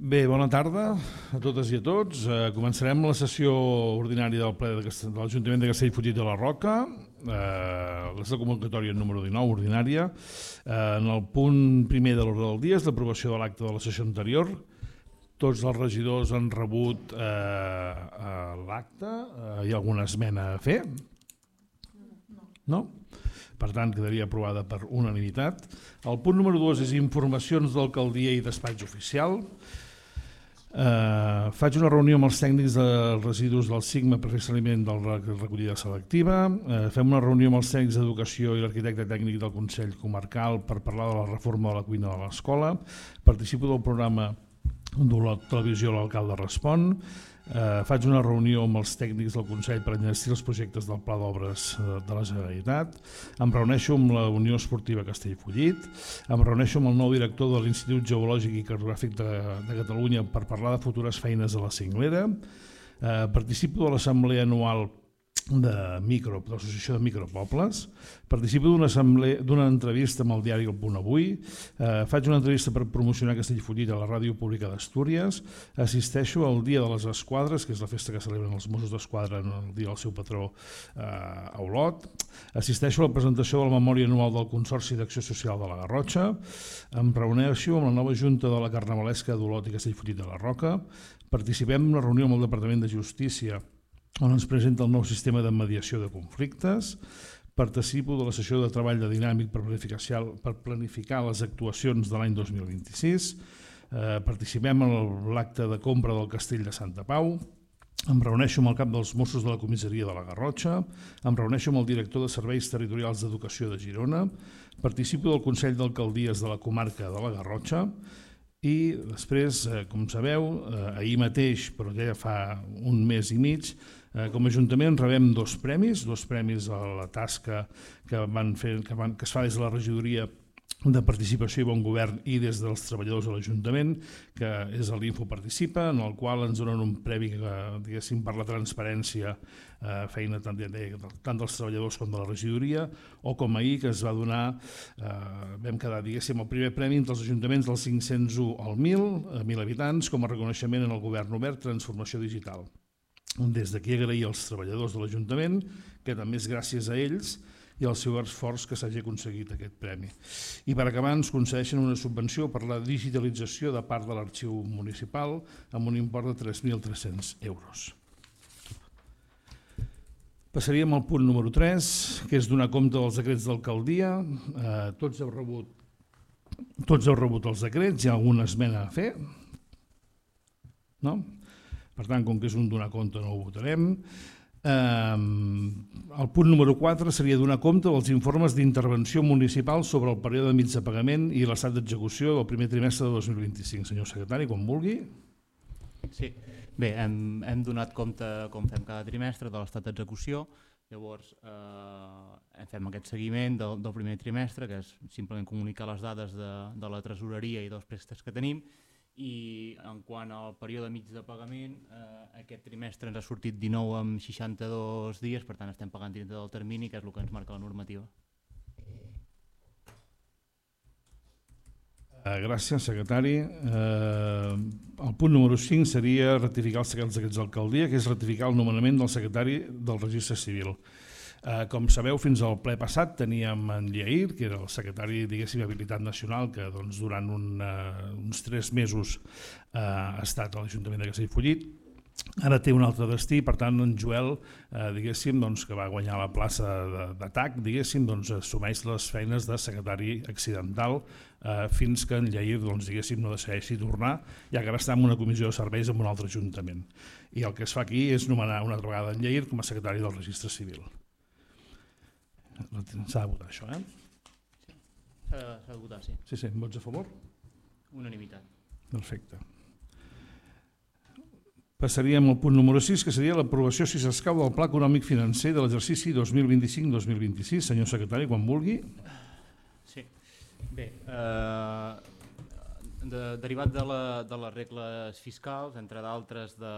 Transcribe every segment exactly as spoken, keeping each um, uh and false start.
Bé, bona tarda a totes i a tots. Eh, començarem la sessió ordinària del ple de, de l'Ajuntament de Castellfollit de la Roca. Eh, és la convocatòria número dinou, ordinària. Eh, en el punt primer de l'ordre del dia és l'aprovació de l'acte de la sessió anterior. Tots els regidors han rebut eh, l'acte. Eh, hi ha alguna esmena a fer? No? Per tant, quedaria aprovada per unanimitat. El punt número dos és informacions d'alcaldia i despatx oficial. Uh, faig una reunió amb els tècnics dels residus del SIGMA per fer seguiment de la recollida selectiva. Uh, fem una reunió amb els tècnics d'educació i l'arquitecte tècnic del Consell Comarcal per parlar de la reforma de la cuina de l'escola. Participo del programa de la televisió L'Alcalde Respon. Uh, faig una reunió amb els tècnics del Consell per enllestir els projectes del Pla d'Obres de la Generalitat. Em reuneixo amb la Unió Esportiva Castellfollit. Em reuneixo amb el nou director de l'Institut Geològic i Cartogràfic de, de Catalunya per parlar de futures feines a la Cinglera. Uh, participo de l'assemblea anual de micro, de l'Associació de Micropobles. Participo d'una d'una entrevista amb el diari El Punt Avui. Eh, faig una entrevista per promocionar Castellfollit a la Ràdio Pública d'Astúries. Assisteixo al Dia de les Esquadres, que és la festa que celebren els Mossos d'Esquadra en el dia del seu patró eh, a Olot. Assisteixo a la presentació de la memòria anual del Consorci d'Acció Social de la Garrotxa. Em reuneixo amb la nova Junta de la Carnavalesca d'Olot i Castellfollit de la Roca. Participem en una reunió amb el Departament de Justícia on ens presenta el nou sistema de mediació de conflictes. Participo de la sessió de treball de dinàmic per planificar, per planificar les actuacions de l'any dos mil vint-i-sis. Eh, participem en l'acte de compra del Castell de Santa Pau. Em reuneixo amb el cap dels Mossos de la comissaria de la Garrotxa. Em reuneixo amb el director de Serveis Territorials d'Educació de Girona. Participo del Consell d'Alcaldies de la comarca de la Garrotxa. I després, eh, com sabeu, eh, ahir mateix, però ja fa un mes i mig, eh, com a Ajuntament rebem dos premis, dos premis a la tasca que, van fer, que, van, que es fa des de la regidoria de Participació i Bon Govern i des dels treballadors de l'Ajuntament, que és l'Info Participa, en el qual ens donen un premi que, diguéssim, per la transparència, eh, feina tant, de, tant dels treballadors com de la regidoria, o com ahir que es va donar, eh, vam quedar, diguéssim, el primer premi entre els ajuntaments del cinc-cents u al mil, a mil habitants, com a reconeixement en el Govern Obert Transformació Digital. Des d'aquí agrair als treballadors de l'Ajuntament, que també és gràcies a ells i al seu esforç que s'hagi aconseguit aquest premi. I per acabar ens concedeixen una subvenció per la digitalització de part de l'arxiu municipal amb un import de tres mil tres-cents euros. Passaríem al punt número tres, que és donar compte dels decrets d'alcaldia. Eh, tots heu rebut, tots heu rebut els decrets, hi ha alguna esmena a fer? No? Per tant, com que és un donar compte no ho votarem. Um, el punt número quatre seria donar compte dels informes d'intervenció municipal sobre el període mig de pagament i l'estat d'execució del primer trimestre de dos mil vint-i-cinc. Senyor secretari, quan vulgui. Sí, bé, hem, hem donat compte, com fem cada trimestre, de l'estat d'execució. Llavors, eh, fem aquest seguiment del, del primer trimestre, que és simplement comunicar les dades de, de la tresoreria i dels préstecs que tenim. I en quant al període mig de pagament, eh, aquest trimestre ens ha sortit dinou amb seixanta-dos dies, per tant estem pagant dintre del termini, que és el que ens marca la normativa. Gràcies, secretari. Eh, el punt número cinc seria ratificar els decrets d'alcaldia, que és ratificar el nomenament del secretari del Registre Civil. Eh, com sabeu, fins al ple passat teníem en Lleir, que era el secretari, diguéssim, d'Habilitat Nacional, que doncs, durant un, uh, uns tres mesos uh, ha estat a l'Ajuntament de Castellfollit. Ara té un altre destí, per tant, en Joel, eh, diguéssim, doncs, que va guanyar la plaça d'atac, diguéssim, doncs, assumeix les feines de secretari accidental eh, fins que en Lleir, doncs, diguéssim, no decideixi tornar, ja que ara està en una comissió de serveis en un altre ajuntament. I el que es fa aquí és nomenar una altra vegada en Lleir com a secretari del Registre Civil. S'ha de votar això, eh? Sí, s'ha de votar, sí. Sí, sí, vots a favor? Unanimitat. Perfecte. Passaríem al punt número sis, que seria l'aprovació, si s'escau, del Pla Econòmic Financer de l'exercici dos mil vint-i-cinc dos mil vint-i-sis. Senyor secretari, quan vulgui. Sí. Bé, eh, de, derivat de, la, de les regles fiscals, entre d'altres, de,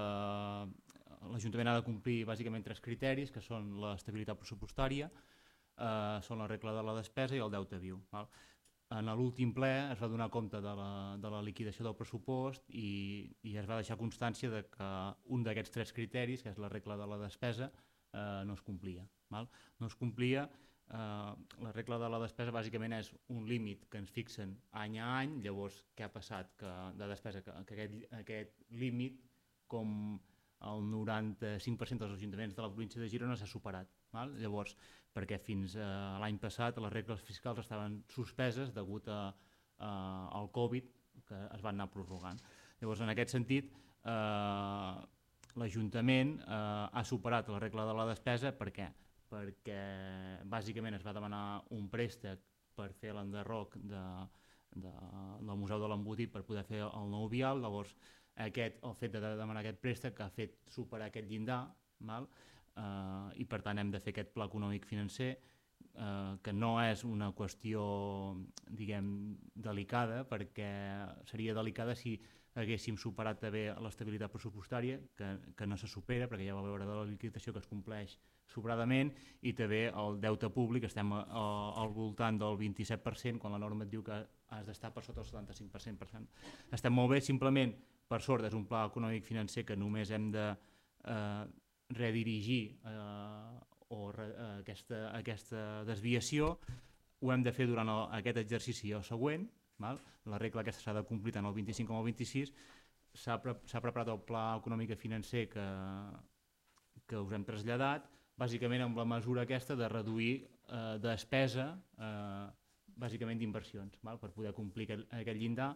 l'Ajuntament ha de complir bàsicament tres criteris, que són l'estabilitat pressupostària, eh, són la regla de la despesa i el deute viu. Val? en l'últim ple es va donar compte de la, de la liquidació del pressupost i, i es va deixar constància de que un d'aquests tres criteris, que és la regla de la despesa, eh, no es complia. Val? No es complia, eh, la regla de la despesa bàsicament és un límit que ens fixen any a any, llavors què ha passat que, de despesa, que, que aquest, aquest límit, com el noranta-cinc per cent dels ajuntaments de la província de Girona s'ha superat. Val? Llavors, perquè fins a l'any passat les regles fiscals estaven suspeses degut a, a, al Covid, que es van anar prorrogant. Llavors, en aquest sentit, eh, l'Ajuntament eh, ha superat la regla de la despesa. Per què? Perquè bàsicament es va demanar un préstec per fer l'enderroc de, de, del Museu de l'Embotit per poder fer el nou vial. Llavors, aquest, el fet de demanar aquest préstec ha fet superar aquest llindar, val? Uh, i per tant hem de fer aquest pla econòmic financer, uh, que no és una qüestió, diguem, delicada, perquè seria delicada si haguéssim superat també l'estabilitat pressupostària, que, que no se supera, perquè ja va veure de la liquidació que es compleix sobradament, i també el deute públic, estem a, a, al voltant del vint-i-set per cent, quan la norma et diu que has d'estar per sota el setanta-cinc per cent. Per cent. Estem molt bé, simplement, per sort, és un pla econòmic financer que només hem de eh, redirigir eh, o re, eh, aquesta, aquesta desviació. Ho hem de fer durant el, aquest exercici i el següent. Val? La regla aquesta s'ha de complir tant el vint-i-cinc com el vint-i-sis. S'ha pre preparat el pla econòmic i financer que, que us hem traslladat, bàsicament amb la mesura aquesta de reduir eh, despesa, eh, bàsicament d'inversions, per poder complir aquest, aquest llindar.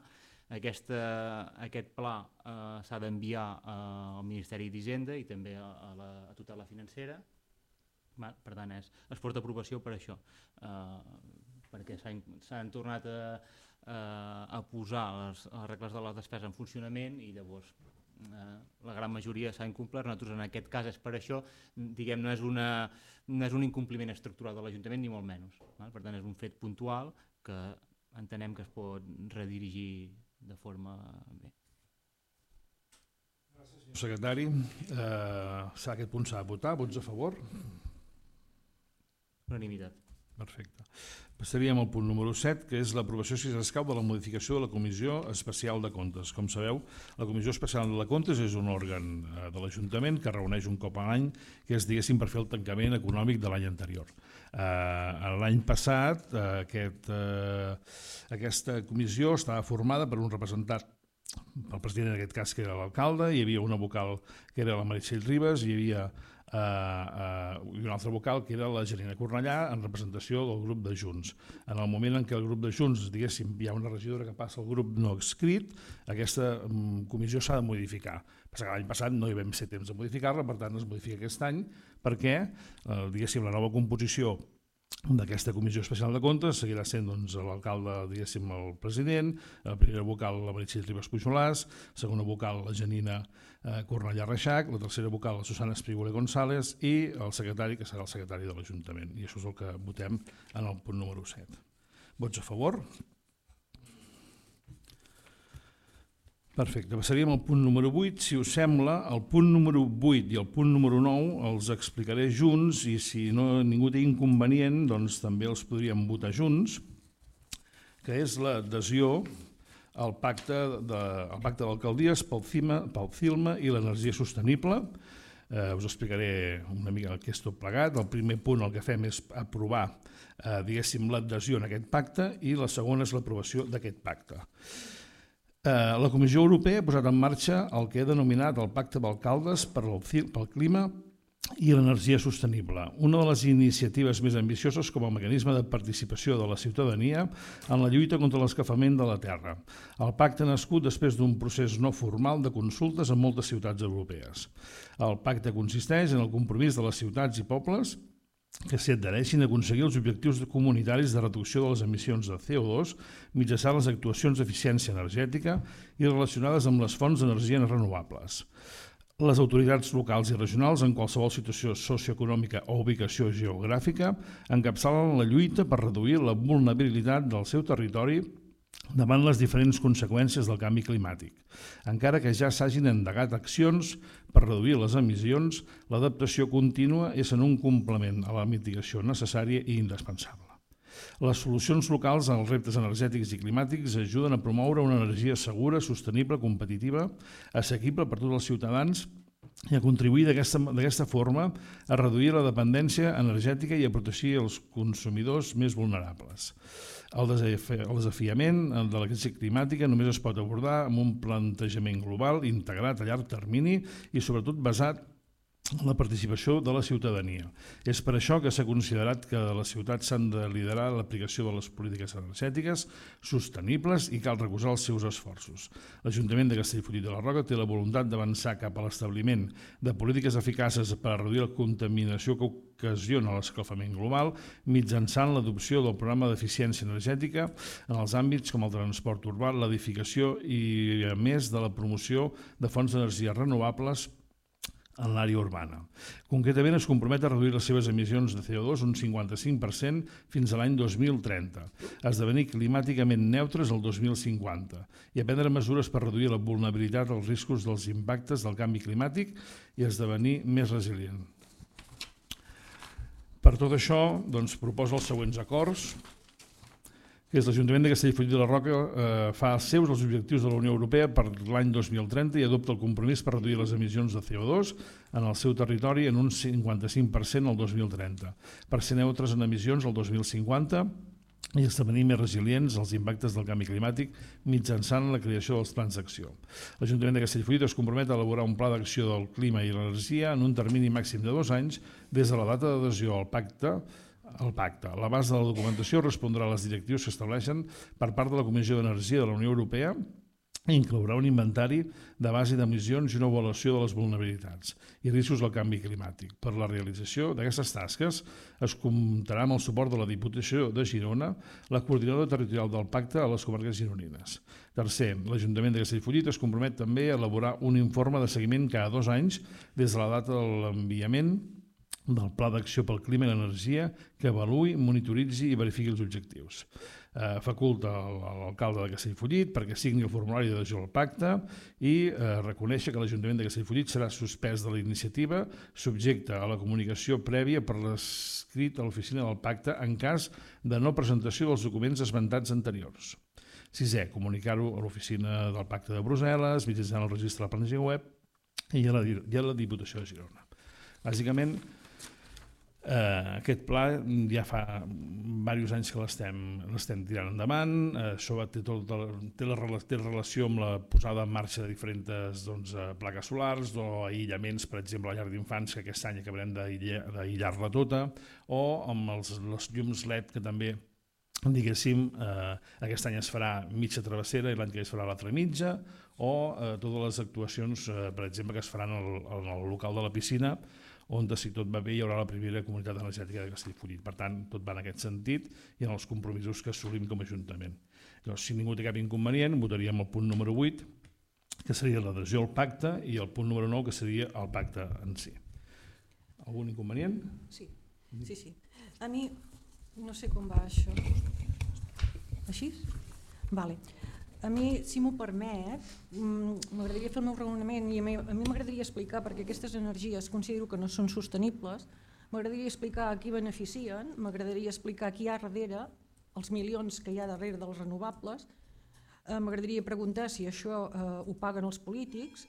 Aquesta, aquest pla eh, s'ha d'enviar eh, al Ministeri d'Hisenda i també a, a, la, a tota la financera. Va, per tant, és, es porta aprovació per això, eh, perquè s'han tornat a, a, a posar les, les regles de la despesa en funcionament i llavors eh, la gran majoria s'ha incomplert. Nosaltres en aquest cas és per això, diguem, no és, una, no és un incompliment estructural de l'Ajuntament ni molt menys. Val? Per tant, és un fet puntual que entenem que es pot redirigir de forma bé. Gràcies, senyor secretari. Eh, aquest punt s'ha de votar. Vots a favor? Unanimitat. Perfecte. Passaríem al punt número set, que és l'aprovació, si s'escau, de la modificació de la Comissió Especial de Comptes. Com sabeu, la Comissió Especial de Comptes és un òrgan de l'Ajuntament que reuneix un cop a l'any, que és, diguéssim, per fer el tancament econòmic de l'any anterior. Eh, l'any passat, eh, aquest, eh, aquesta comissió estava formada per un representant, pel president en aquest cas, que era l'alcalde, hi havia una vocal que era la Meritxell Ribas, hi havia Uh, uh, i un altre vocal que era la Janina Cornellà en representació del grup de Junts. En el moment en què el grup de Junts, diguéssim, hi ha una regidora que passa al grup no escrit, aquesta um, comissió s'ha de modificar. Passa que l'any passat no hi vam ser temps de modificar-la, per tant es modifica aquest any perquè, uh, diguéssim, la nova composició d'aquesta Comissió Especial de Comptes seguirà sent doncs, l'alcalde, diguéssim, el president, la primera vocal la Meritxell Ribas Pujolàs, segona vocal la Janina eh, Cornellà Reixac, la tercera vocal la Susana Esprígula González i el secretari, que serà el secretari de l'Ajuntament. I això és el que votem en el punt número set. Vots a favor? Perfecte, passaríem al punt número vuit. Si us sembla, el punt número vuit i el punt número nou els explicaré junts i si no, ningú té inconvenient, doncs també els podríem votar junts, que és l'adhesió al pacte de, al pacte d'alcaldies pel CIMA, pel CILMA i l'energia sostenible. Eh, us explicaré una mica el que és tot plegat. El primer punt el que fem és aprovar eh, diguéssim l'adhesió en aquest pacte i la segona és l'aprovació d'aquest pacte. La Comissió Europea ha posat en marxa el que he denominat el Pacte d'Alcaldes pel Clima i l'Energia Sostenible, una de les iniciatives més ambicioses com a mecanisme de participació de la ciutadania en la lluita contra l'escalfament de la terra. El pacte ha nascut després d'un procés no formal de consultes en moltes ciutats europees. El pacte consisteix en el compromís de les ciutats i pobles que s'adhereixin a aconseguir els objectius comunitaris de reducció de les emissions de C O dos mitjançant les actuacions d'eficiència energètica i relacionades amb les fonts d'energia renovables. Les autoritats locals i regionals, en qualsevol situació socioeconòmica o ubicació geogràfica, encapçalen la lluita per reduir la vulnerabilitat del seu territori davant les diferents conseqüències del canvi climàtic. Encara que ja s'hagin endegat accions per reduir les emissions, l'adaptació contínua és en un complement a la mitigació necessària i indispensable. Les solucions locals als reptes energètics i climàtics ajuden a promoure una energia segura, sostenible, competitiva, assequible per tots els ciutadans i a contribuir d'aquesta forma a reduir la dependència energètica i a protegir els consumidors més vulnerables. El desafiament de la crisi climàtica només es pot abordar amb un plantejament global, integrat a llarg termini i sobretot basat en la participació de la ciutadania. És per això que s'ha considerat que les ciutats s'han de liderar l'aplicació de les polítiques energètiques sostenibles i cal recolzar els seus esforços. L'Ajuntament de Castellfollit de la Roca té la voluntat d'avançar cap a l'establiment de polítiques eficaces per a reduir la contaminació que ocasiona l'escalfament global mitjançant l'adopció del programa d'eficiència energètica en els àmbits com el transport urbà, l'edificació i, a més, de la promoció de fonts d'energia renovables en l'àrea urbana. Concretament es compromet a reduir les seves emissions de C O dos un cinquanta-cinc per cent fins a l'any dos mil trenta, a esdevenir climàticament neutres el dos mil cinquanta i a prendre mesures per reduir la vulnerabilitat als riscos dels impactes del canvi climàtic i esdevenir més resilient. Per tot això, doncs, proposa els següents acords, que és l'Ajuntament de Castellfollit de la Roca eh, fa seus els objectius de la Unió Europea per l'any dos mil trenta i adopta el compromís per reduir les emissions de C O dos en el seu territori en un cinquanta-cinc per cent el dos mil trenta, per ser neutres en emissions el dos mil cinquanta i esdevenir més resilients als impactes del canvi climàtic mitjançant la creació dels plans d'acció. L'Ajuntament de Castellfollit es compromet a elaborar un pla d'acció del clima i l'energia en un termini màxim de dos anys des de la data d'adhesió al pacte el pacte. L'abast de la documentació respondrà a les directrius que estableixen per part de la Comissió d'Energia de la Unió Europea i inclourà un inventari de base d'emissions i una avaluació de les vulnerabilitats i riscos del canvi climàtic. Per la realització d'aquestes tasques es comptarà amb el suport de la Diputació de Girona, la coordinadora territorial del pacte a les comarques gironines. Tercer, l'Ajuntament de Castellfollit es compromet també a elaborar un informe de seguiment cada dos anys des de la data de l'enviament del Pla d'Acció pel Clima i l'Energia que avaluï, monitoritzi i verifiqui els objectius. Eh, faculta l'alcalde de Castellfollit perquè signi el formulari d'adhesió al pacte i eh, reconèixer que l'Ajuntament de Castellfollit serà suspès de la iniciativa subjecte a la comunicació prèvia per l'escrit a l'oficina del pacte en cas de no presentació dels documents esmentats anteriors. Sisè, comunicar-ho a l'oficina del pacte de Brussel·les, mitjançant el registre de la plantilla web i a la, i a la Diputació de Girona. Bàsicament, Uh, aquest pla ja fa diversos anys que l'estem tirant endavant, uh, això té, tot, té, la, té relació amb la posada en marxa de diferents doncs, uh, plaques solars o aïllaments, per exemple, a la llar d'infants, que aquest any acabarem d'aïllar-la tota, o amb els, les llums L E D que també, diguéssim, eh, aquest any es farà mitja travessera i l'any que es farà l'altra mitja, o eh, totes les actuacions, eh, per exemple, que es faran en el, en el local de la piscina, on, si tot va bé, hi haurà la primera comunitat energètica de Castellfollit. Per tant, tot va en aquest sentit i en els compromisos que assolim com a Ajuntament. Llavors, si ningú té cap inconvenient, votaríem el punt número vuit, que seria l'adhesió al pacte, i el punt número nou, que seria el pacte en si. Algun inconvenient? Sí, sí, sí. A mi, no sé com va això. Així? Vale. A mi, si m'ho permet, m'agradaria fer el meu raonament i a mi m'agradaria explicar perquè aquestes energies considero que no són sostenibles, m'agradaria explicar a qui beneficien, m'agradaria explicar qui hi ha darrere, els milions que hi ha darrere dels renovables, m'agradaria preguntar si això ho paguen els polítics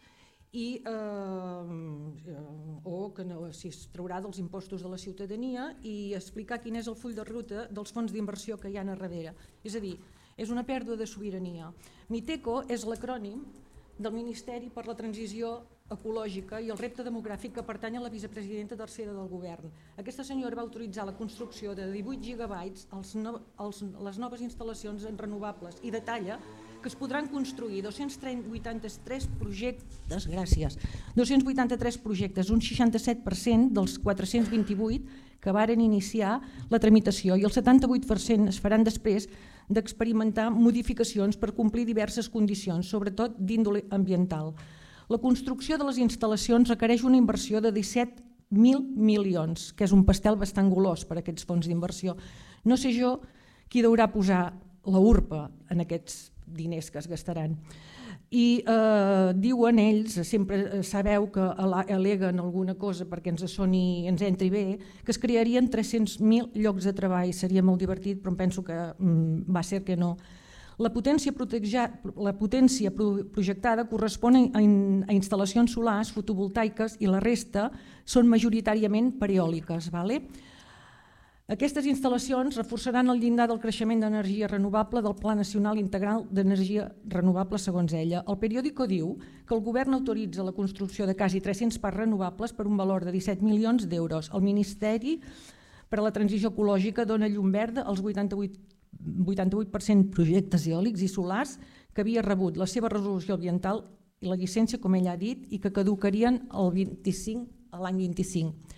i, eh, o que no, si es traurà dels impostos de la ciutadania i explicar quin és el full de ruta dels fons d'inversió que hi ha a darrere. És a dir, és una pèrdua de sobirania. MITECO és l'acrònim del Ministeri per la Transició Ecològica i el Repte Demogràfic que pertany a la vicepresidenta tercera del govern. Aquesta senyora va autoritzar la construcció de divuit gigabytes als no, als, les noves instal·lacions en renovables i detalla que es podran construir dos-cents vuitanta-tres projectes, gràcies, dos-cents vuitanta-tres projectes, un seixanta-set per cent dels quatre-cents vint-i-vuit que varen iniciar la tramitació i el setanta-vuit per cent es faran després d'experimentar modificacions per complir diverses condicions, sobretot d'índole ambiental. La construcció de les instal·lacions requereix una inversió de disset mil milions, que és un pastel bastant golós per a aquests fons d'inversió. No sé jo qui deurà posar la urpa en aquests diners que es gastaran. I eh, diuen ells, sempre sabeu que al·leguen alguna cosa perquè ens soni, ens entri bé, que es crearien tres-cents mil llocs de treball. Seria molt divertit, però em penso que mm, va ser que no. La potència, la potència projectada correspon a, in, a instal·lacions solars fotovoltaiques i la resta són majoritàriament per eòliques. Vale? Aquestes instal·lacions reforçaran el llindar del creixement d'energia renovable del Pla Nacional Integral d'Energia Renovable, segons ella. El periòdico diu que el govern autoritza la construcció de quasi tres-cents parcs renovables per un valor de disset milions d'euros. El Ministeri per a la Transició Ecològica dona llum verda als vuitanta-vuit per cent projectes eòlics i solars que havia rebut la seva resolució ambiental i la llicència, com ella ha dit, i que caducarien el vint-i-cinc a l'any vint-i-cinc.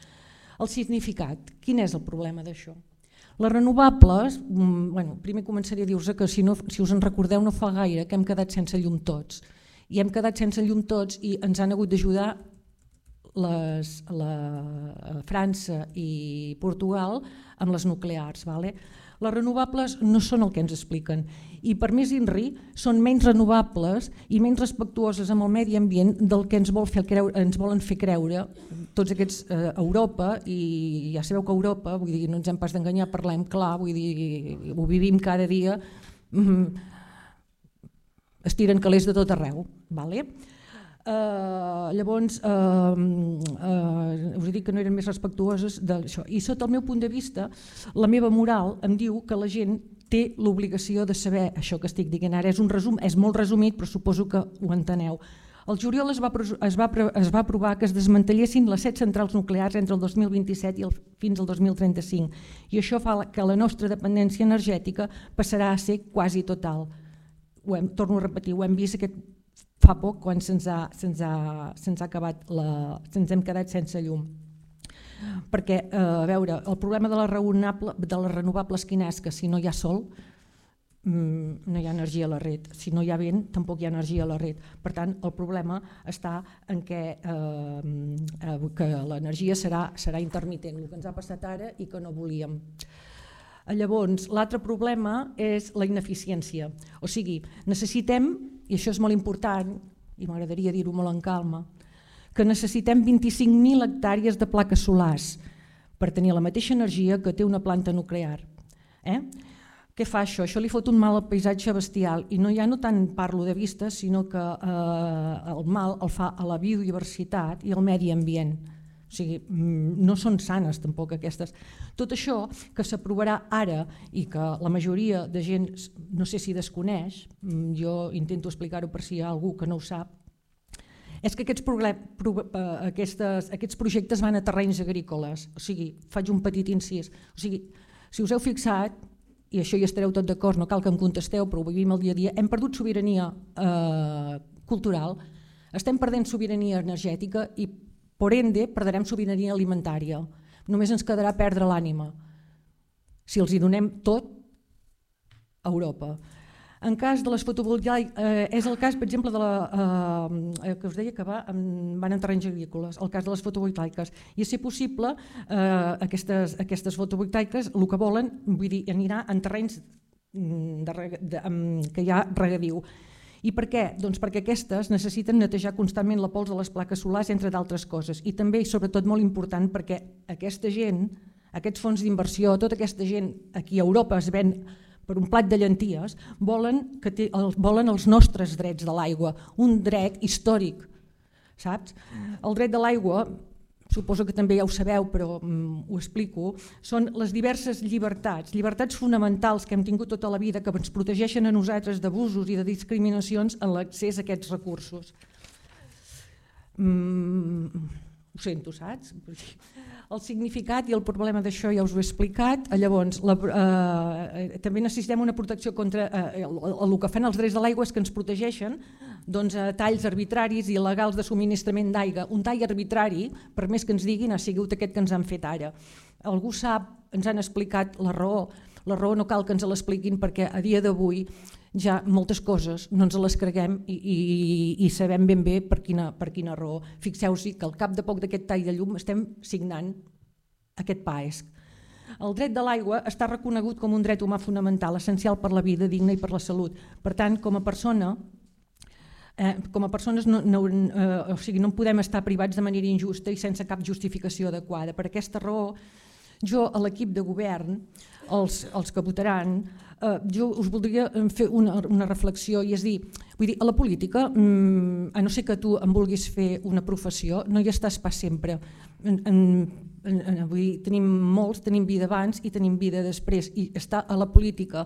El significat, quin és el problema d'això? Les renovables, bueno, primer començaria a dir-vos que si, no, si us en recordeu no fa gaire que hem quedat sense llum tots. I hem quedat sense llum tots i ens han hagut d'ajudar les, la França i Portugal amb les nuclears. Vale? Les renovables no són el que ens expliquen i per més INRI són menys renovables i menys respectuoses amb el medi ambient del que ens, vol fer creure, ens volen fer creure tots aquests a eh, Europa, i ja sabeu que a Europa, vull dir, no ens hem pas d'enganyar, parlem clar, vull dir, ho vivim cada dia, mm, es tiren calés de tot arreu. Vale? Uh, llavors uh, uh, us he dit que no eren més respectuoses d'això, i sota el meu punt de vista la meva moral em diu que la gent té l'obligació de saber això que estic dient ara. És un resum, és molt resumit, però suposo que ho enteneu. El juliol es va, es va, es va aprovar que es desmantellessin les set centrals nuclears entre el dos mil vint-i-set i el, fins al dos mil trenta-cinc, i això fa que la nostra dependència energètica passarà a ser quasi total. Ho hem, torno a repetir, ho hem vist aquest fa poc quan se'ns ha, se'ns ha, se'ns ha acabat la, se'ns hem quedat sense llum. Perquè, eh, a veure, el problema de les renovables quin és? Que si no hi ha sol mmm, no hi ha energia a la red, si no hi ha vent tampoc hi ha energia a la red. Per tant, el problema està en què, eh, que l'energia serà, serà intermitent, el que ens ha passat ara i que no volíem. Llavors, l'altre problema és la ineficiència. O sigui, necessitem, i això és molt important, i m'agradaria dir-ho molt en calma, que necessitem vint-i-cinc mil hectàrees de plaques solars per tenir la mateixa energia que té una planta nuclear. Eh? Què fa això? Això li fot un mal al paisatge bestial, i no, ja no tant parlo de vista, sinó que eh, el mal el fa a la biodiversitat i al medi ambient. O sigui, no són sanes tampoc aquestes. Tot això que s'aprovarà ara i que la majoria de gent no sé si desconeix, jo intento explicar-ho per si hi ha algú que no ho sap, és que aquests, aquestes, aquests projectes van a terrenys agrícoles. O sigui, faig un petit incís. O sigui, si us heu fixat, i això hi estareu tot d'acord, no cal que em contesteu, però ho vivim el dia a dia, hem perdut sobirania eh, cultural, estem perdent sobirania energètica i por ende, perdrem sobirania alimentària. Només ens quedarà perdre l'ànima si els hi donem tot a Europa. En cas de les fotovoltaiques, eh, és el cas, per exemple, de la, eh, que us deia que va, van en terrenys agrícoles, el cas de les fotovoltaiques. I a ser possible, eh, aquestes, aquestes fotovoltaiques el que volen, vull dir, anirà en terrenys de, de, que hi ha regadiu. I per què? Doncs perquè aquestes necessiten netejar constantment la pols de les plaques solars, entre d'altres coses. I també, i sobretot molt important, perquè aquesta gent, aquests fons d'inversió, tota aquesta gent aquí a Europa es ven per un plat de llenties, volen, que té, volen els nostres drets de l'aigua, un dret històric, saps? El dret de l'aigua, suposo que també ja ho sabeu, però um, ho explico, són les diverses llibertats, llibertats fonamentals que hem tingut tota la vida, que ens protegeixen a nosaltres d'abusos i de discriminacions en l'accés a aquests recursos. Mm, ho sento, saps? El significat i el problema d'això ja us ho he explicat. Llavors, la, eh, també necessitem una protecció contra eh, el, el que fan els drets de l'aigua és que ens protegeixen doncs, a talls arbitraris i il·legals de subministrament d'aigua. Un tall arbitrari, per més que ens diguin, ha sigut aquest que ens han fet ara. Algú sap, ens han explicat la raó. La raó no cal que ens l'expliquin perquè a dia d'avui ja moltes coses no ens les creguem i, i, i sabem ben bé per quina, per quina raó. Fixeu-vos que al cap de poc d'aquest tall de llum estem signant aquest P A E S C. El dret de l'aigua està reconegut com un dret humà fonamental, essencial per la vida digna i per la salut. Per tant, com a persona, Eh, com a persones no, no, eh, o sigui, no podem estar privats de manera injusta i sense cap justificació adequada. Per aquesta raó, jo a l'equip de govern, els, els que votaran, eh, jo us voldria fer una, una reflexió i és dir, vull dir, a la política, mm, a no ser que tu en vulguis fer una professió, no hi estàs pas sempre. En, en, en, vull dir, tenim molts, tenim vida abans i tenim vida després, i estar a la política,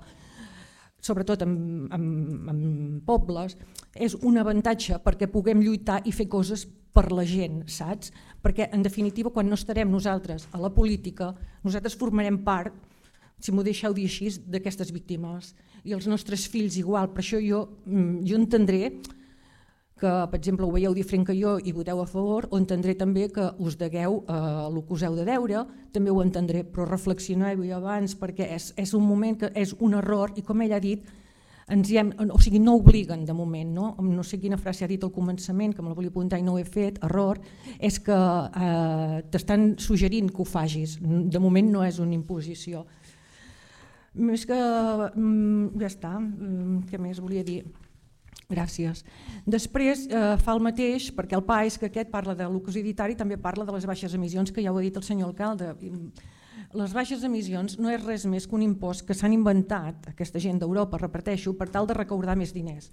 sobretot en, en, en pobles, és un avantatge perquè puguem lluitar i fer coses per la gent, saps? Perquè, en definitiva, quan no estarem nosaltres a la política, nosaltres formarem part, si m'ho deixeu dir així, d'aquestes víctimes. I els nostres fills igual. Per això jo, jo entendré que, per exemple, ho veieu diferent que jo i voteu a favor, o entendré també que us degueu eh, el que us heu de deure, també ho entendré, però reflexioneu-hi abans perquè és, és un moment que és un error i, com ell ha dit, ens hi hem, o sigui, no obliguen de moment, no? No sé quina frase ha dit al començament, que me la volia apuntar i no ho he fet, error, és que eh, t'estan suggerint que ho facis, de moment no és una imposició. Més que, ja està, què més volia dir? Gràcies. Després eh, fa el mateix, perquè el PAES, que aquest parla de l'ocositari, també parla de les baixes emissions, que ja ho ha dit el senyor alcalde. Les baixes emissions no és res més que un impost que s'han inventat, aquesta gent d'Europa, repeteixo, per tal de recaudar més diners.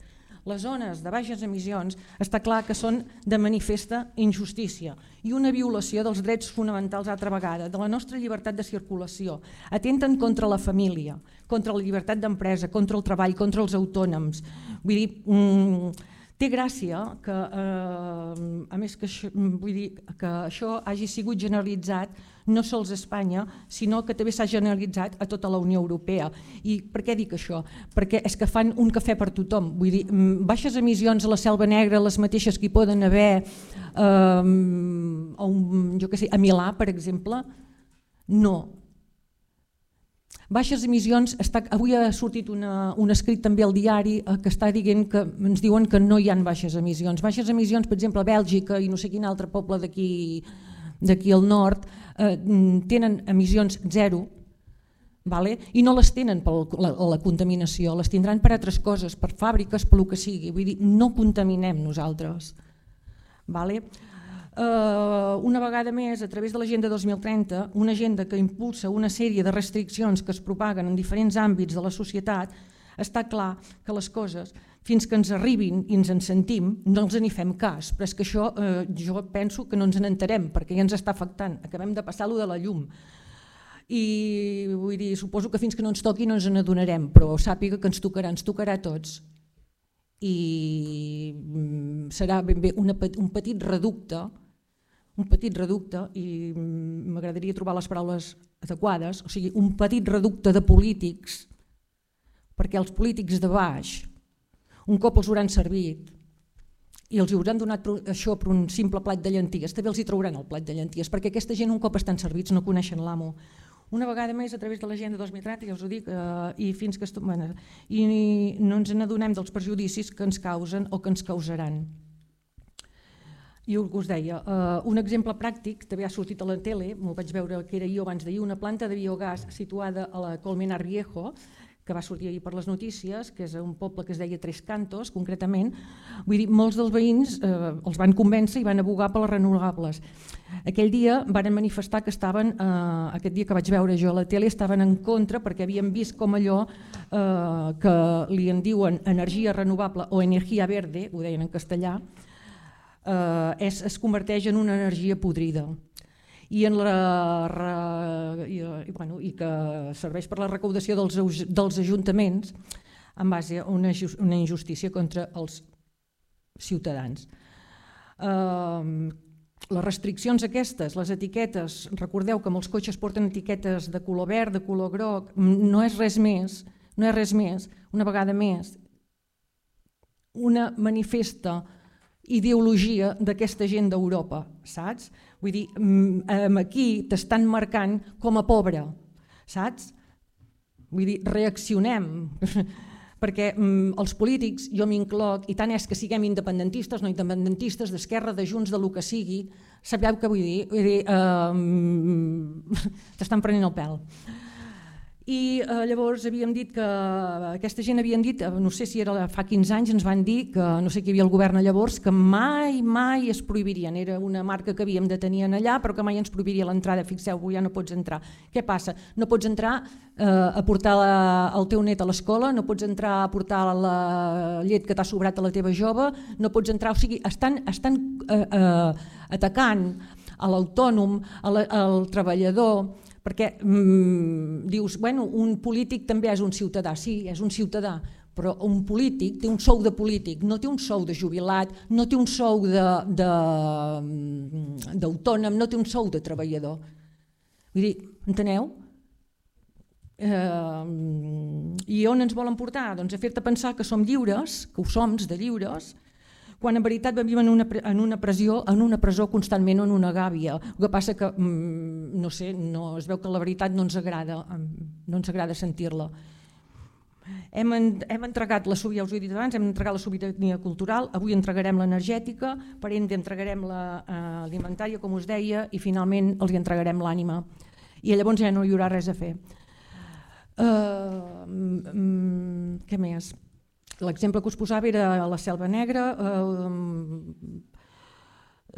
Les zones de baixes emissions està clar que són de manifesta injustícia i una violació dels drets fonamentals altra vegada, de la nostra llibertat de circulació. Atenten contra la família, contra la llibertat d'empresa, contra el treball, contra els autònoms. Vull dir, mmm, té gràcia que, eh, a més que això, vull dir, que això hagi sigut generalitzat no sols a Espanya, sinó que també s'ha generalitzat a tota la Unió Europea. I per què dic això? Perquè és que fan un cafè per tothom. Vull dir, baixes emissions a la Selva Negra, les mateixes que hi poden haver eh, a, un, jo què sé, a Milà, per exemple, no. Baixes emissions, està, avui ha sortit una, un escrit també al diari que està dient que ens diuen que no hi ha baixes emissions. Baixes emissions, per exemple, a Bèlgica i no sé quin altre poble d'aquí d'aquí al nord, eh, tenen emissions zero, vale? I no les tenen per la, la contaminació, les tindran per altres coses, per fàbriques, per el que sigui. Vull dir, no contaminem nosaltres. Vale? Uh, una vegada més, a través de l'Agenda dos mil trenta, una agenda que impulsa una sèrie de restriccions que es propaguen en diferents àmbits de la societat, està clar que les coses, fins que ens arribin i ens en sentim, no els en fem cas, però és que això eh, jo penso que no ens n'enterem perquè ja ens està afectant, acabem de passar lo de la llum. I vull dir, suposo que fins que no ens toqui no ens n'adonarem, però sàpiga que ens tocarà, ens tocarà a tots. I serà ben bé una, un petit reducte, un petit reducte, i m'agradaria trobar les paraules adequades, o sigui, un petit reducte de polítics, perquè els polítics de baix, un cop els hauran servit i els hauran donat això per un simple plat de llenties, també els hi trauran el plat de llenties, perquè aquesta gent un cop estan servits no coneixen l'amo. Una vegada més, a través de l'Agenda dos mil trenta, ja us ho dic, eh, i fins que bueno, i no ens n'adonem dels perjudicis que ens causen o que ens causaran. I us deia, eh, un exemple pràctic, també ha sortit a la tele, m'ho vaig veure que era jo abans d'ahir, una planta de biogàs situada a la Colmenar Viejo, que va sortir ahir per les notícies, que és un poble que es deia Tres Cantos, concretament. Vull dir, molts dels veïns eh, els van convèncer i van abogar per les renovables. Aquell dia van manifestar que estaven, eh, aquest dia que vaig veure jo a la tele, estaven en contra perquè havien vist com allò eh, que li en diuen energia renovable o energia verde, ho deien en castellà, eh, és, es converteix en una energia podrida. I, en la, re, i, i, bueno, i que serveix per la recaudació dels, dels ajuntaments en base a una, una injustícia contra els ciutadans. Uh, les restriccions aquestes, les etiquetes, recordeu que molts cotxes porten etiquetes de color verd, de color groc, no és res més, no és res més, una vegada més, una manifesta ideologia d'aquesta gent d'Europa, saps? Vull dir, aquí t'estan marcant com a pobre, saps? Vull dir, reaccionem, perquè els polítics, jo m'incloc, i tant és que siguem independentistes, no independentistes, d'esquerra, de Junts, de lo que sigui, sabeu què vull dir? Vull dir, eh, t'estan prenent el pèl. I eh, llavors havíem dit que aquesta gent havien dit, no sé si era fa quinze anys, ens van dir que no sé qui hi havia al govern llavors, que mai, mai es prohibirien. Era una marca que havíem de tenir allà, però que mai ens prohibiria l'entrada. Fixeu-vos, ja no pots entrar. Què passa? No pots entrar eh, a portar la, el teu net a l'escola, no pots entrar a portar la llet que t'ha sobrat a la teva jove, no pots entrar, o sigui, estan, estan eh, eh, atacant a l'autònom, al treballador, perquè mm, dius, bueno, un polític també és un ciutadà, sí, és un ciutadà, però un polític té un sou de polític, no té un sou de jubilat, no té un sou d'autònom, no té un sou de treballador. Vull dir, enteneu? Eh, I on ens volen portar? Doncs a fer-te pensar que som lliures, que ho som de lliures, quan en veritat vivim en una, en una pressió, en una presó constantment o en una gàbia. El que passa que, no sé, no, es veu que la veritat no ens agrada, no ens agrada sentir-la. Hem, hem entregat la sobirania, ja us ho he dit abans, hem entregat la sobirania cultural, avui entregarem l'energètica, per ende entregarem l'alimentària, com us deia, i finalment els hi entregarem l'ànima. I llavors ja no hi haurà res a fer. Uh, mm, què més? L'exemple que us posava era la Selva Negra. Eh,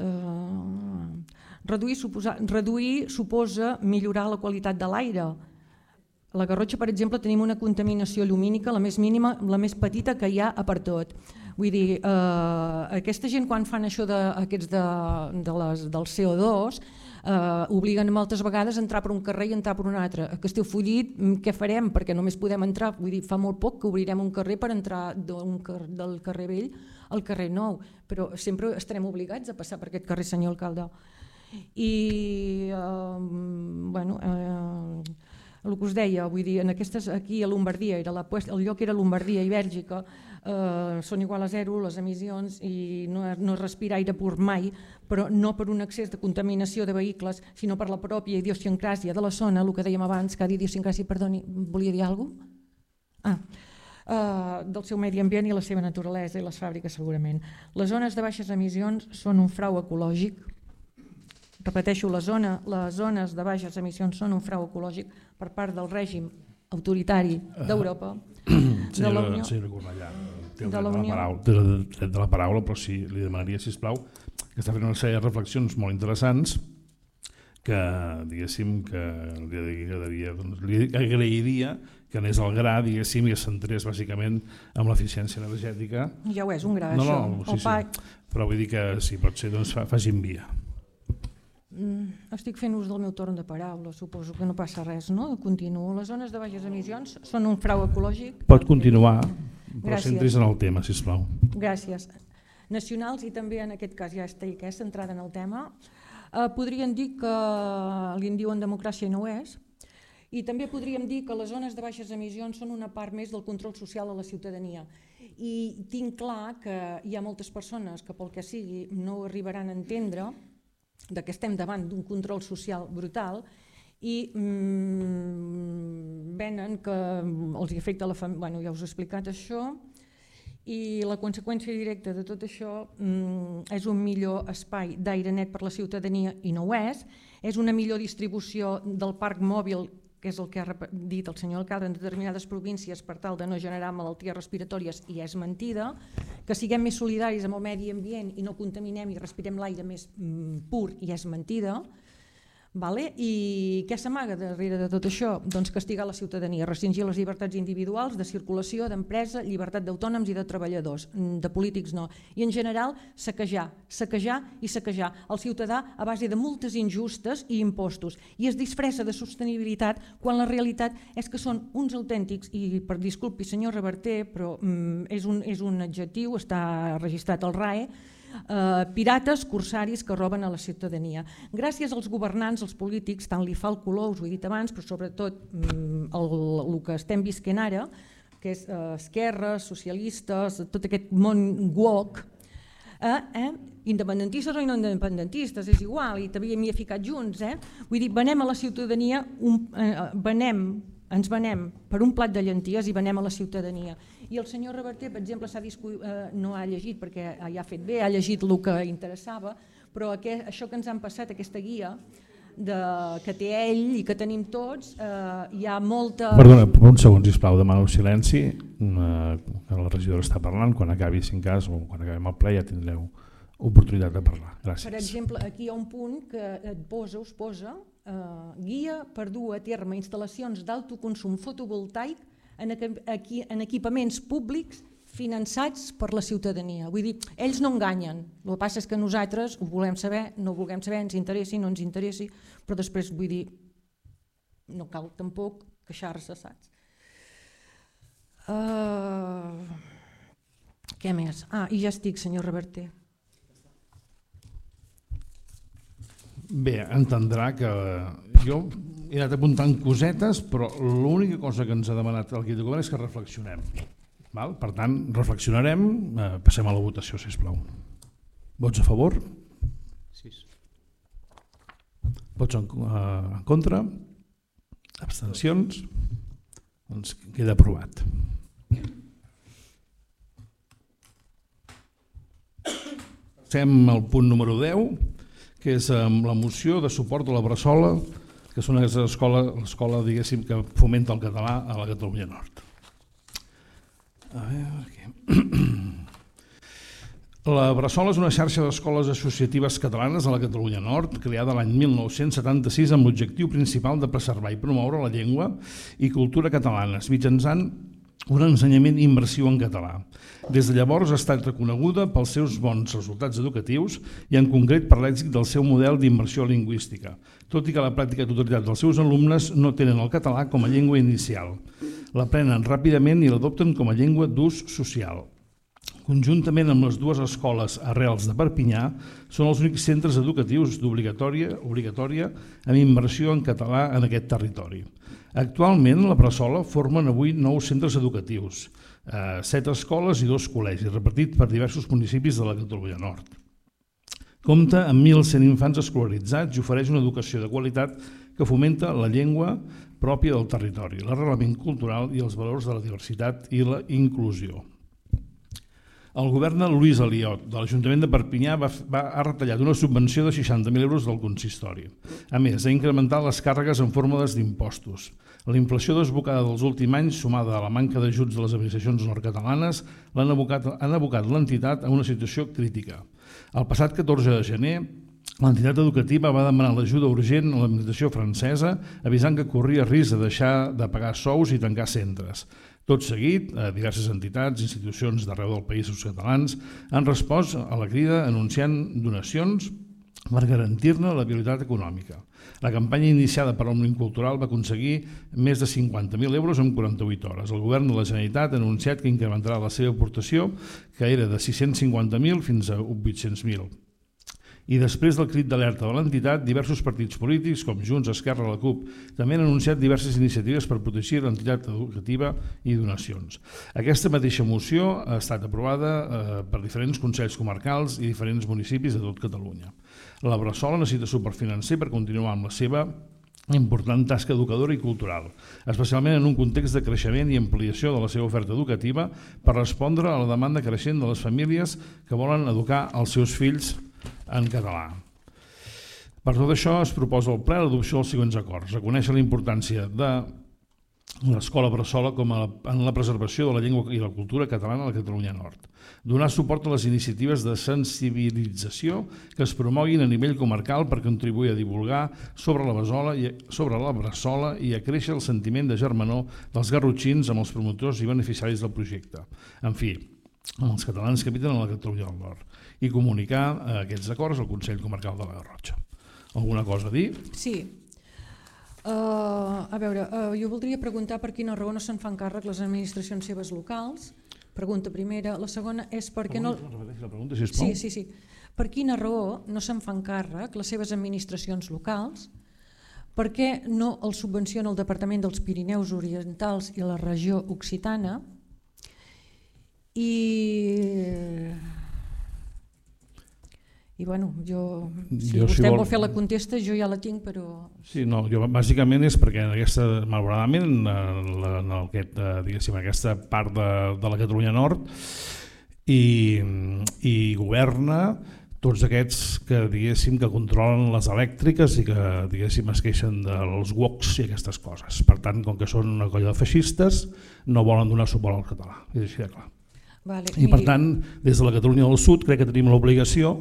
eh, reduir, suposa, reduir suposa millorar la qualitat de l'aire. A la Garrotxa, per exemple, tenim una contaminació llumínica, la més mínima, la més petita que hi ha a per tot. Vull dir, eh, aquesta gent quan fan això de, aquests de, de les, del C O dos, Uh, obliguen moltes vegades a entrar per un carrer i entrar per un altre. A Castellfollit què farem? Perquè només podem entrar, vull dir, fa molt poc que obrirem un carrer per entrar car del carrer Vell al carrer Nou, però sempre estarem obligats a passar per aquest carrer, senyor alcalde. I uh, bueno, uh, el que us deia, vull dir, en aquestes, aquí a Lombardia, era la, el lloc era Lombardia i Bèlgica, Uh, són igual a zero les emissions i no, no es respira aire pur mai, però no per un excés de contaminació de vehicles, sinó per la pròpia idiosincràsia de la zona, el que dèiem abans, cada idiosincràsia, perdoni, volia dir alguna cosa? Ah, uh, del seu medi ambient i la seva naturalesa i les fàbriques segurament. Les zones de baixes emissions són un frau ecològic. Repeteixo, la zona, les zones de baixes emissions són un frau ecològic per part del règim autoritari d'Europa. Senyora, de senyora Cornellà, té el dret de, de, la paraula, té el dret de la paraula, però sí, li demanaria, sisplau, que està fent una sèrie de reflexions molt interessants que, diguéssim, que li, agradaria, doncs, li agrairia que anés al gra, diguéssim, i es centrés bàsicament en l'eficiència energètica. Ja ho és, un gra, no, això. No, sí, sí. Però vull dir que si pot ser, doncs facin via. Mm, estic fent ús del meu torn de paraula, suposo que no passa res, no? Continuo. Les zones de baixes emissions són un frau ecològic. Pot continuar, però centris en el tema, sisplau. Gràcies. Nacionals i també en aquest cas ja estic eh, centrada en el tema. Eh, podrien dir que li en diuen democràcia i no ho és. I també podríem dir que les zones de baixes emissions són una part més del control social a la ciutadania. I tinc clar que hi ha moltes persones que pel que sigui no ho arribaran a entendre, de que estem davant d'un control social brutal i mm, venen que els afecta la família, bueno, ja us he explicat això, i la conseqüència directa de tot això mm, és un millor espai d'aire net per la ciutadania i no ho és, és una millor distribució del parc mòbil, que és el que ha dit el senyor alcalde, en determinades províncies per tal de no generar malalties respiratòries, i és mentida, que siguem més solidaris amb el medi ambient i no contaminem i respirem l'aire més mm, pur, i és mentida. Vale? I què s'amaga darrere de tot això? Doncs castigar la ciutadania, restringir les llibertats individuals de circulació, d'empresa, llibertat d'autònoms i de treballadors, de polítics no. I en general saquejar, saquejar i saquejar el ciutadà a base de multes injustes i impostos. I es disfressa de sostenibilitat quan la realitat és que són uns autèntics, i per disculpi senyor Reverter, però mm, és, un, és un adjectiu, està registrat al R A E, Uh, pirates, corsaris que roben a la ciutadania. Gràcies als governants, als polítics, tant li fa el color, us ho he dit abans, però sobretot um, el, el que estem visquent ara, que és uh, esquerres, socialistes, tot aquest món woke, eh, eh, independentistes o no independentistes, és igual, i també m'hi he ficat junts. Eh? Vull dir, venem a la ciutadania, un, eh, venem, ens venem per un plat de llenties i venem a la ciutadania. I el senyor Reverter, per exemple, eh, no ha llegit perquè ja ha fet bé, ha llegit el que interessava, però aquest, això que ens han passat, aquesta guia, de, que té ell i que tenim tots, eh, hi ha molta... Perdona, un segon, sisplau, demano silenci, eh, que la regidora està parlant, quan acabi, si en cas, o quan acabem el ple ja tindreu oportunitat de parlar. Gràcies. Per exemple, aquí hi ha un punt que et posa, us posa, eh, guia per dur a terme instal·lacions d'autoconsum fotovoltaic en, aquí, en equipaments públics finançats per la ciutadania. Vull dir, ells no enganyen, el que passa és que nosaltres ho volem saber, no ho volem saber, ens interessi, no ens interessi, però després vull dir, no cal tampoc queixar-se, saps? Uh, què més? Ah, i ja estic, senyor Reverter. Bé, entendrà que jo he anat apuntant cosetes, però l'única cosa que ens ha demanat el Guia de Govern és que reflexionem. Val? Per tant, reflexionarem, eh, passem a la votació, sisplau. Vots a favor? Sis. Vots en, eh, en contra? Abstencions? Doncs queda aprovat. Passem al punt número deu, que és la moció de suport a la Bressola, que és una escola, l'escola, diguéssim, que fomenta el català a la Catalunya Nord. A veure, aquí. La Bressola és una xarxa d'escoles associatives catalanes a la Catalunya Nord, creada l'any mil nou-cents setanta-sis amb l'objectiu principal de preservar i promoure la llengua i cultura catalanes, mitjançant un ensenyament immersiu en català. Des de llavors ha estat reconeguda pels seus bons resultats educatius i en concret per l'èxit del seu model d'immersió lingüística, tot i que la pràctica totalitat dels seus alumnes no tenen el català com a llengua inicial. L'aprenen ràpidament i l'adopten com a llengua d'ús social. Conjuntament amb les dues escoles arrels de Perpinyà, són els únics centres educatius d'obligatòria obligatòria amb immersió en català en aquest territori. Actualment, la Bressola formen avui nou centres educatius, eh, set escoles i dos col·legis, repartits per diversos municipis de la Catalunya Nord. Compta amb mil cent infants escolaritzats i ofereix una educació de qualitat que fomenta la llengua pròpia del territori, l'arrelament cultural i els valors de la diversitat i la inclusió. El govern de Lluís Aliot, de l'Ajuntament de Perpinyà, va, va, ha retallat una subvenció de seixanta mil euros del consistori. A més, ha incrementat les càrregues en fórmules d'impostos. La inflació desbocada dels últims anys, sumada a la manca d'ajuts de les administracions nord-catalanes, l'han abocat, han abocat l'entitat a una situació crítica. El passat catorze de gener, l'entitat educativa va demanar l'ajuda urgent a l'administració francesa, avisant que corria risc de deixar de pagar sous i tancar centres. Tot seguit, diverses entitats i institucions d'arreu del país catalans han respost a la crida anunciant donacions per garantir-ne la viabilitat econòmica. La campanya iniciada per l'Òmnium Cultural va aconseguir més de cinquanta mil euros en quaranta-vuit hores. El govern de la Generalitat ha anunciat que incrementarà la seva aportació, que era de sis-cents cinquanta mil fins a vuit-cents mil. I després del crit d'alerta de l'entitat, diversos partits polítics, com Junts, Esquerra, la CUP, també han anunciat diverses iniciatives per protegir l'entitat educativa i donacions. Aquesta mateixa moció ha estat aprovada eh, per diferents consells comarcals i diferents municipis de tot Catalunya. La Bressola necessita suport financer per continuar amb la seva important tasca educadora i cultural, especialment en un context de creixement i ampliació de la seva oferta educativa per respondre a la demanda creixent de les famílies que volen educar els seus fills en català. Per tot això es proposa al ple l'adopció dels següents acords. Reconèixer la importància de l'Escola Bressola com a, en la preservació de la llengua i la cultura catalana a la Catalunya Nord. Donar suport a les iniciatives de sensibilització que es promoguin a nivell comarcal per contribuir a divulgar sobre la Bressola i, sobre la Bressola i a créixer el sentiment de germanor dels garrotxins amb els promotors i beneficiaris del projecte. En fi, amb els catalans que habiten a la Catalunya del Nord, i comunicar aquests acords al Consell Comarcal de la Garrotxa. Alguna cosa a dir? Sí. Uh, a veure, uh, jo voldria preguntar per quina raó no se'n fan càrrec les administracions seves locals. Pregunta primera. La segona és per què no... Repeteixi la pregunta, sisplau. Sí, sí, sí. Per quina raó no se'n fan càrrec les seves administracions locals? Per què no els subvenciona el Departament dels Pirineus Orientals i la regió Occitana? I... I bueno, jo, si jo, vostè si vol... vol fer la contesta, jo ja la tinc, però... Sí, no, jo bàsicament és perquè en aquesta, malauradament, en, en, aquest, diguéssim, aquesta part de, de la Catalunya Nord i, i governa tots aquests que diguéssim que controlen les elèctriques i que diguéssim es queixen dels woks i aquestes coses. Per tant, com que són una colla de feixistes, no volen donar suport al català. És així de clar. Vale, I per tant, des de la Catalunya del Sud crec que tenim l'obligació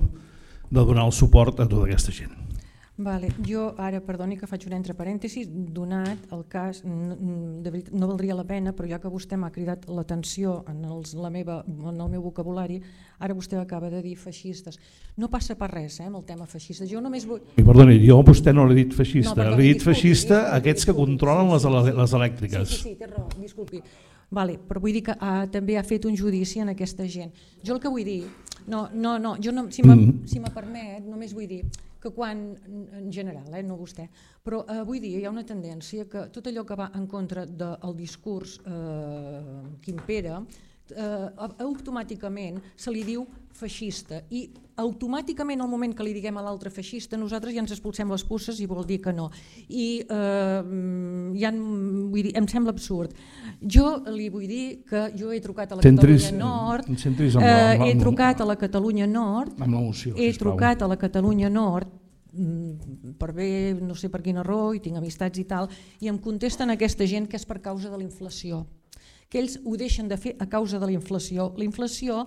de donar el suport a tota aquesta gent. Vale. Jo ara, perdoni que faig un entre parèntesis, donat el cas, de veritat, no valdria la pena, però ja que vostè m'ha cridat l'atenció en, els, la meva, en el meu vocabulari, ara vostè acaba de dir feixistes. No passa per res, eh, amb el tema feixista. Jo només vull... I perdoni, jo a vostè no l'he dit feixista, no, perdoni, l'he dit disculpi, feixista disculpi, a aquests que disculpi, controlen sí, sí, les, sí, les elèctriques. Sí, sí, sí, té raó, disculpi. Vale, però vull dir que ha, també ha fet un judici en aquesta gent. Jo el que vull dir, no, no, no, jo no, si me, mm. si me permet, només vull dir que quan, en general, eh, no vostè, però eh, vull dir, hi ha una tendència que tot allò que va en contra del discurs eh, que impera, eh, automàticament se li diu feixista i automàticament al moment que li diguem a l'altre feixista nosaltres ja ens expulsem les pusses i vol dir que no. I eh, ja, vull dir, em sembla absurd. Jo li vull dir que jo he trucat a la centris, Catalunya Nord, centris amb la, amb la, he trucat a la Catalunya Nord, amb la moció, he trucat a la Catalunya Nord per bé, no sé per quina raó, i tinc amistats i tal, i em contesten aquesta gent que és per causa de la inflació, que ells ho deixen de fer a causa de la inflació. La inflació,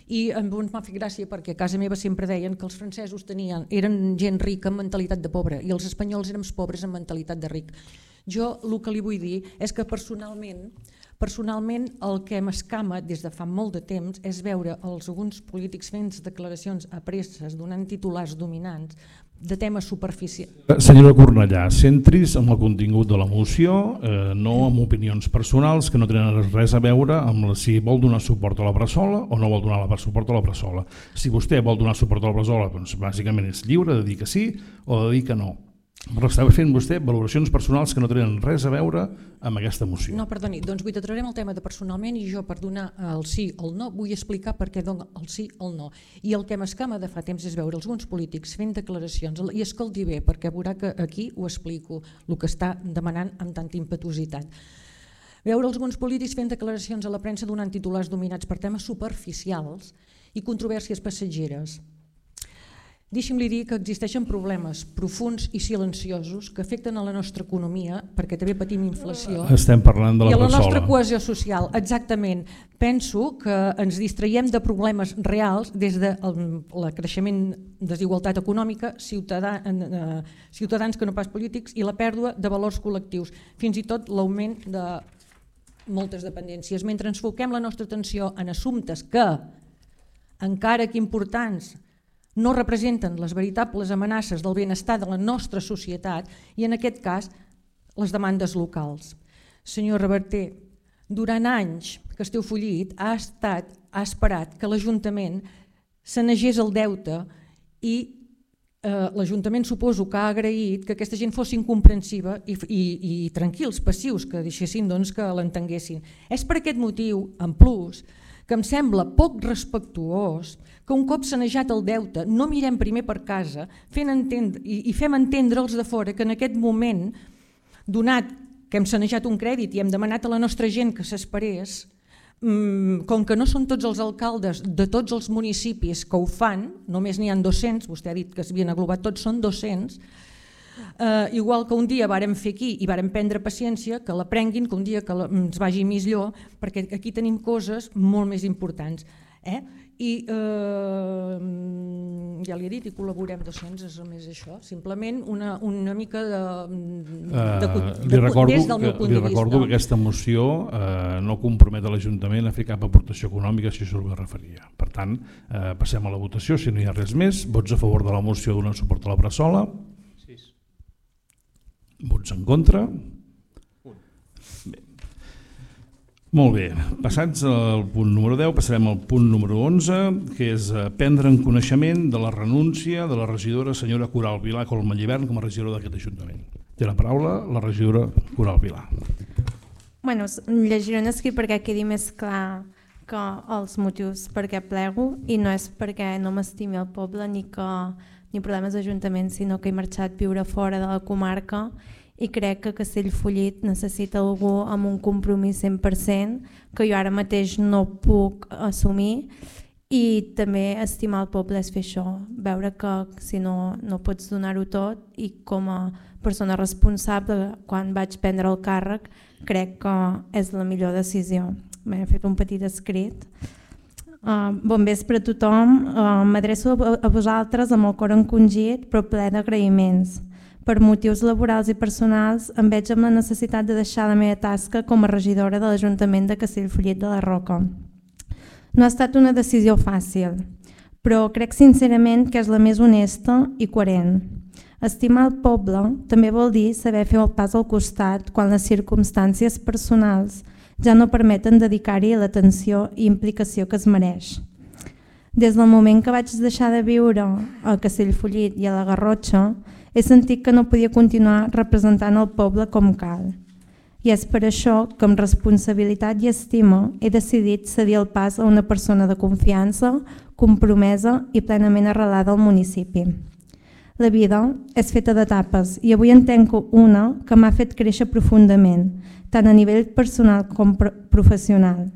i em m'ha fet gràcia perquè a casa meva sempre deien que els francesos tenien, eren gent rica amb mentalitat de pobre i els espanyols érem pobres amb mentalitat de ric. Jo el que li vull dir és que personalment Personalment el que m'escama des de fa molt de temps és veure els alguns polítics fent declaracions a presses donant titulars dominants de temes superficials. Senyora Cornellà, centris en el contingut de la moció, eh, no amb opinions personals que no tenen res a veure amb la, si vol donar suport a la Bressola o no vol donar suport a la Bressola. Si vostè vol donar suport a la Bressola, doncs bàsicament és lliure de dir que sí o de dir que no. Però està fent vostè valoracions personals que no tenen res a veure amb aquesta moció. No, perdoni, doncs vull tractarem el tema de personalment i jo per donar el sí o el no vull explicar per què dono el sí o el no. I el que m'escama de fa temps és veure alguns polítics fent declaracions, i escolti bé perquè veurà que aquí ho explico, el que està demanant amb tanta impetuositat. Veure alguns polítics fent declaracions a la premsa donant titulars dominats per temes superficials i controvèrsies passatgeres. Deixi'm-li dir que existeixen problemes profuns i silenciosos que afecten a la nostra economia, perquè també patim inflació. Estem parlant de la Bressola. I a la nostra Bressola. cohesió social, exactament. Penso que ens distraiem de problemes reals des del creixement de desigualtat econòmica, ciutadà, eh, ciutadans que no pas polítics, i la pèrdua de valors col·lectius, fins i tot l'augment de moltes dependències. Mentre ens foquem la nostra atenció en assumptes que, encara que importants, no representen les veritables amenaces del benestar de la nostra societat i en aquest cas les demandes locals. Senyor Reverter, durant anys que esteu follit ha estat, ha esperat que l'Ajuntament sanegés el deute i eh, l'Ajuntament suposo que ha agraït que aquesta gent fossin comprensiva i, i, i tranquils, passius, que deixessin doncs, que l'entenguessin. És per aquest motiu, en plus, que em sembla poc respectuós que un cop sanejat el deute no mirem primer per casa fent entendre, i, i fem entendre als de fora que en aquest moment, donat que hem sanejat un crèdit i hem demanat a la nostra gent que s'esperés, mmm, com que no són tots els alcaldes de tots els municipis que ho fan, només n'hi ha dos-cents, vostè ha dit que s'havien aglobat tots, són dos-cents, Uh, igual que un dia vàrem fer aquí i vàrem prendre paciència, que la prenguin, que un dia que la, ens vagi millor, perquè aquí tenim coses molt més importants. Eh? I uh, ja li he dit, i col·laborem dos-cents, és només això, simplement una, una mica de, de, de, de, li recordo des del meu que, punt li de vista. recordo que aquesta moció eh, no compromet a l'Ajuntament a fer cap aportació econòmica, si això ho referia. Per tant, eh, passem a la votació, si no hi ha res més. Vots a favor de la moció donant suport a la Bressola? Vots en contra? Bé. Molt bé, passats al punt número deu, passarem al punt número onze, que és prendre en coneixement de la renúncia de la regidora senyora Coral Vilà Colmallivern com a regidora d'aquest Ajuntament. Té la paraula la regidora Coral Vilà. Bueno, llegiré un escrit perquè quedi més clar que els motius per què plego, i no és perquè no m'estimi el poble ni que ni problemes d'Ajuntament, sinó que he marxat a viure fora de la comarca i crec que Castellfollit necessita algú amb un compromís cent per cent que jo ara mateix no puc assumir, I també estimar el poble és fer això, veure que si no, no pots donar-ho tot, i com a persona responsable, quan vaig prendre el càrrec, crec que és la millor decisió. M'he fet un petit escrit. Uh, bon vespre a tothom, uh, m'adreço a, a vosaltres amb el cor encongit però ple d'agraïments. Per motius laborals i personals em veig amb la necessitat de deixar la meva tasca com a regidora de l'Ajuntament de Castellfollit de la Roca. No ha estat una decisió fàcil, però crec sincerament que és la més honesta i coherent. Estimar el poble també vol dir saber fer el pas al costat quan les circumstàncies personals ja no permeten dedicar-hi l'atenció i implicació que es mereix. Des del moment que vaig deixar de viure a Castellfollit i a la Garrotxa, he sentit que no podia continuar representant el poble com cal. I és per això que amb responsabilitat i estima he decidit cedir el pas a una persona de confiança, compromesa i plenament arrelada al municipi. La vida és feta d'etapes i avui en tenc una que m'ha fet créixer profundament, tant a nivell personal com professional.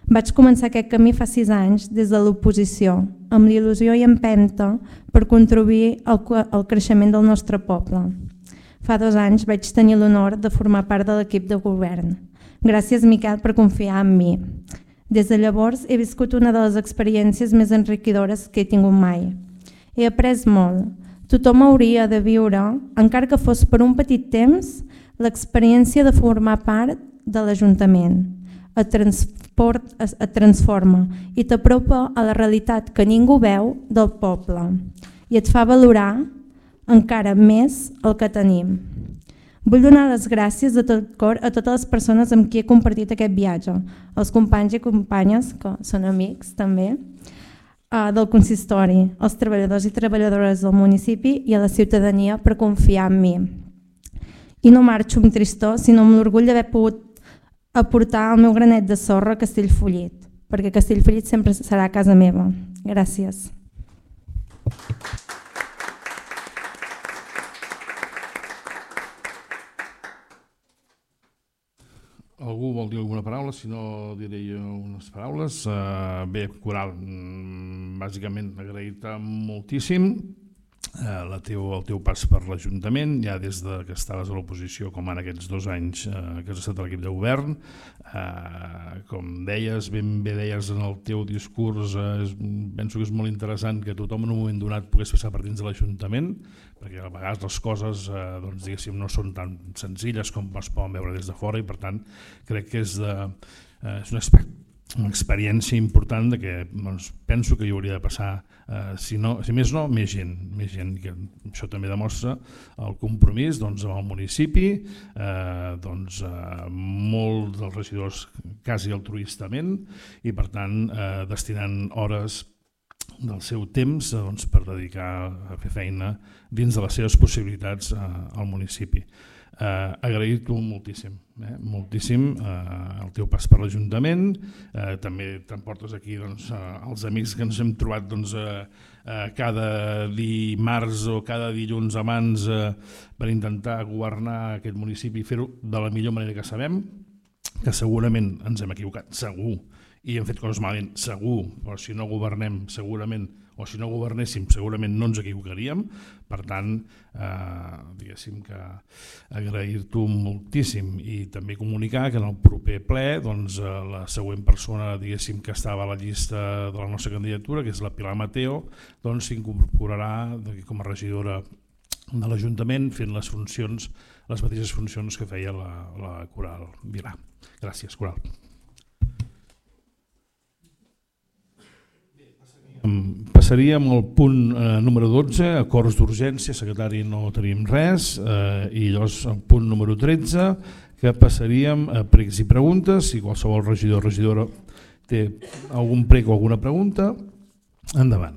Vaig començar aquest camí fa sis anys des de l'oposició, amb l'il·lusió i empenta per contribuir al creixement del nostre poble. Fa dos anys vaig tenir l'honor de formar part de l'equip de govern. Gràcies, Miquel, per confiar en mi. Des de llavors he viscut una de les experiències més enriquidores que he tingut mai. He après molt. Tothom hauria de viure, encara que fos per un petit temps, l'experiència de formar part de l'Ajuntament. Et, transport, et transforma i t'apropa a la realitat que ningú veu del poble i et fa valorar encara més el que tenim. Vull donar les gràcies de tot cor a totes les persones amb qui he compartit aquest viatge, els companys i companyes, que són amics també, del consistori, als treballadors i treballadores del municipi i a la ciutadania per confiar en mi. I no marxo amb tristor, sinó amb l'orgull d'haver pogut aportar el meu granet de sorra a Castellfollit, perquè Castellfollit sempre serà casa meva. Gràcies. Algú vol dir alguna paraula? Si no, diré jo unes paraules. Uh, bé, Coral, bàsicament agrair-te moltíssim uh, la teu, el teu pas per l'Ajuntament, ja des de que estaves a l'oposició com ara aquests dos anys uh, que has estat a l'equip de govern. Uh, com deies, ben bé deies en el teu discurs, uh, és, penso que és molt interessant que tothom en un moment donat pogués passar per dins de l'Ajuntament, perquè a vegades les coses eh, doncs, diguéssim, no són tan senzilles com es poden veure des de fora i per tant crec que és, de, eh, és una, una experiència important de que doncs, penso que hi hauria de passar, eh, si, no, si més no, més gent, més gent que això també demostra el compromís doncs, amb el municipi, eh, doncs, eh, molt dels regidors quasi altruistament i per tant eh, destinant hores del seu temps doncs, per dedicar a fer feina dins de les seves possibilitats eh, al municipi. Eh, Agrair-t'ho moltíssim, eh, moltíssim eh, el teu pas per l'Ajuntament, eh, també t'emportes aquí doncs, eh, els amics que ens hem trobat doncs, eh, eh, cada dimarts o cada dilluns abans eh, per intentar governar aquest municipi i fer-ho de la millor manera que sabem, que segurament ens hem equivocat, segur, i hem fet coses malament, segur, però si no governem segurament, o si no governéssim segurament no ens equivocaríem, per tant, eh, diguéssim que agrair-t'ho moltíssim i també comunicar que en el proper ple doncs, la següent persona diguéssim que estava a la llista de la nostra candidatura, que és la Pilar Mateo, doncs s'incorporarà com a regidora de l'Ajuntament fent les funcions, les mateixes funcions que feia la, la Coral Vilà. Gràcies, Coral. Passaríem al punt eh, número dotze, acords d'urgència, secretari no tenim res, eh, i llavors al punt número tretze, que passaríem a pregs i preguntes, si qualsevol regidor o regidora té algun prec o alguna pregunta, endavant.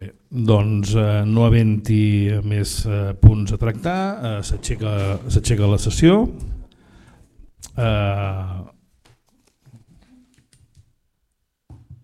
Bé, doncs eh, no havent-hi més eh, punts a tractar, eh, s'aixeca la sessió. Uh,